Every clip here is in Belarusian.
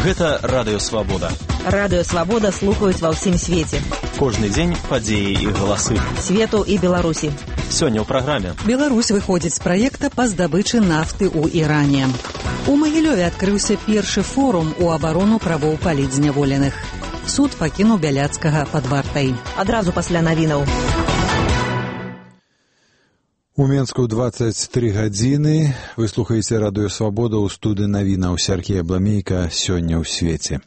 Гэта Радыё Свабода. Радыё Свабода слухаюць ва ўсім свеце. Кожны дзень падзеі і галасы. Свету і Беларусі. Сёння ў праграме. Беларусь выходзіць з праекта па здабычы нафты ў Іране. У Магілёве адкрыўся першы форум у абарону правоў палітзняволеных. Суд пакінуў Бяляцкага пад вартай. Адразу пасля навінаў. У Менску 23 гадзіны. Вы слухаеце Радыё Свабода ў студыі навінаў. Сергей Абламейка сёння ў свеце.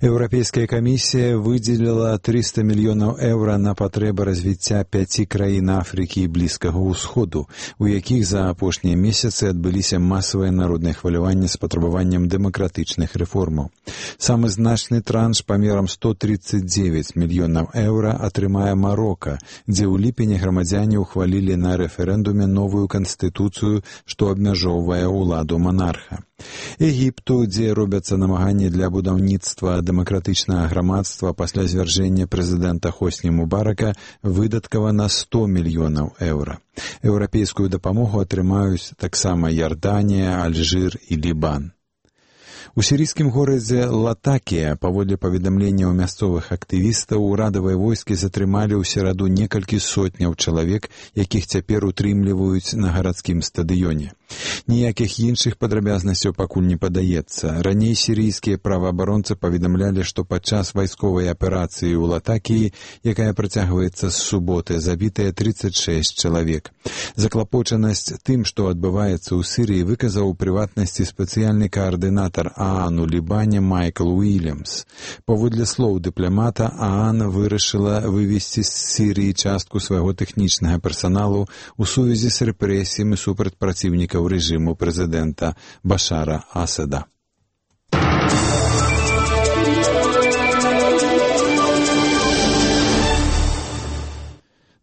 Еўрапейская камісія выдзеліла 300 мільёнаў еўра на патрэбы развіцця 5 краін Афрыкі і Блізкага ўсходу, у якіх за апошнія месяцы адбыліся масавыя народныя хваляванні з патрабаваннем дэмакратычных рэформаў. Самы значны транш памерам 139 мільёнаў еўра атрымае Марока, дзе ў ліпені грамадзяне ўхвалілі на рэферэндуме новую канстытуцыю, што абмяжоўвае ўладу манарха. Егіпту, дзе робяцца намаганні для будаўніцтва дэмакратычнага грамадства пасля звяржэння прэзідэнта Хосні Мубарака, выдаткавана 100 мільёнаў еўра. Еўрапейскую дапамогу атрымаюць таксама Ярданія, Альжыр і Лібан. У сірійскім горадзе Латакія, паводле паведамленняў мясцовых актывістаў, урадавыя войскі затрымалі ў сераду некалькі сотняў чалавек, якіх цяпер утрымліваюць на гарадскім стадыёне. Ніякіх іншых падрабязнасцяў пакуль не падаецца. Раней сірійскія праваабаронцы паведамлялі, што падчас вайсковай аперацыі ў Латакіі, якая працягваецца з суботы, забітыя 36 чалавек. Заклапочанасць тым, што адбываецца ў Сірыі, выказаў у прыватнасці спецыяльны каардынатар ААН у Лібане Майкл Уільямс. Паводле слоў дыпламата, ААН вырашыла вывесці з Сірыі частку свайго тэхнічнага персаналу ў сувязі з рэпрэсіямі супраць праціўнікаў рэжыму прэзідэнта Башара Асада.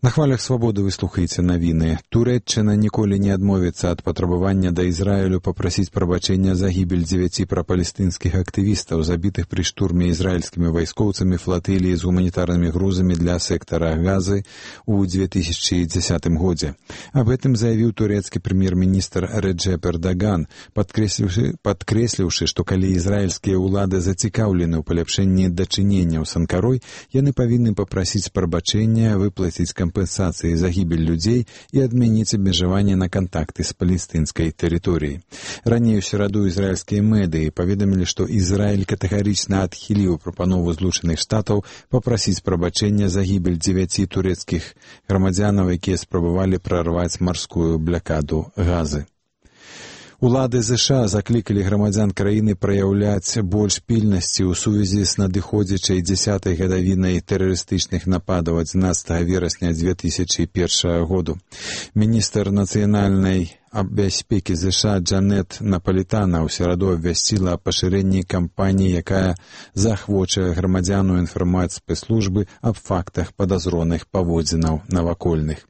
На хвалях свабоды вы слухаеце навіны. Турэччына ніколі не адмовіцца ад патрабавання да Ізраілю папрасіць прабачэння за гібель 9 прапалестынскіх актывістаў, забітых пры штурме ізраільскімі вайскоўцамі флатыліі з гуманітарнымі грузамі для сектара Газы ў 2010 годзе. Аб гэтым заявіў турэцкі прэм'ер-міністр Реджеп Эрдаган, падкрэсліўшы, што калі ізраільскія ўлады зацікаўлены ў паляпшэнні дачыненняў з Анкарой, яны павінны папрасіць прабачэння, выплаціць кампенсацыі за гібель людзей і адмяніць абмежаванне на кантакты з палестынскай тэрыторыяй. Раней у сераду ізраільскія медыі паведамілі, што Ізраіль катэгарычна адхіліў прапанову Злучаных Штатаў папрасіць прабачэння за гібель 9 турэцкіх грамадзянаў, якія спрабавалі прарваць марскую блякаду Газы. Улады США заклікалі грамадзян краіны праяўляць больш пільнасці ў сувязі з надыходзячай 10-й гадавінай тэрарыстычных нападаў 11 верасня 2001 году. Міністр нацыянальнай бяспекі США Джанет Напалітана ў сераду абвясціла аб пашырэнні кампаніі, якая заахвочае грамадзян інфармаваць спецслужбы аб фактах падазроных паводзінаў навакольных.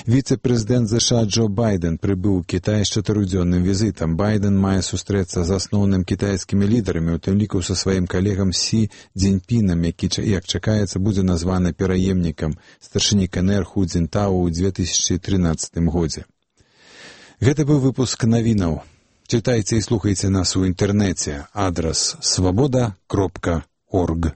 Віцэ-прэзідэнт США Джо Байден прыбыў у Кітай з 4-дзённым візітам. Байден мае сустрэцца з асноўным кітайскімі лідарамі, у тым ліку са сваім калегам Сі Цзіньпінам, які, як чакаецца, будзе названы пераемнікам старшыні КНР Ху Цзінтао ў 2013 годзе. Гэта быў выпуск навінаў. Чытайце і слухайце нас у інтэрнэце. Адрас свабода.орг.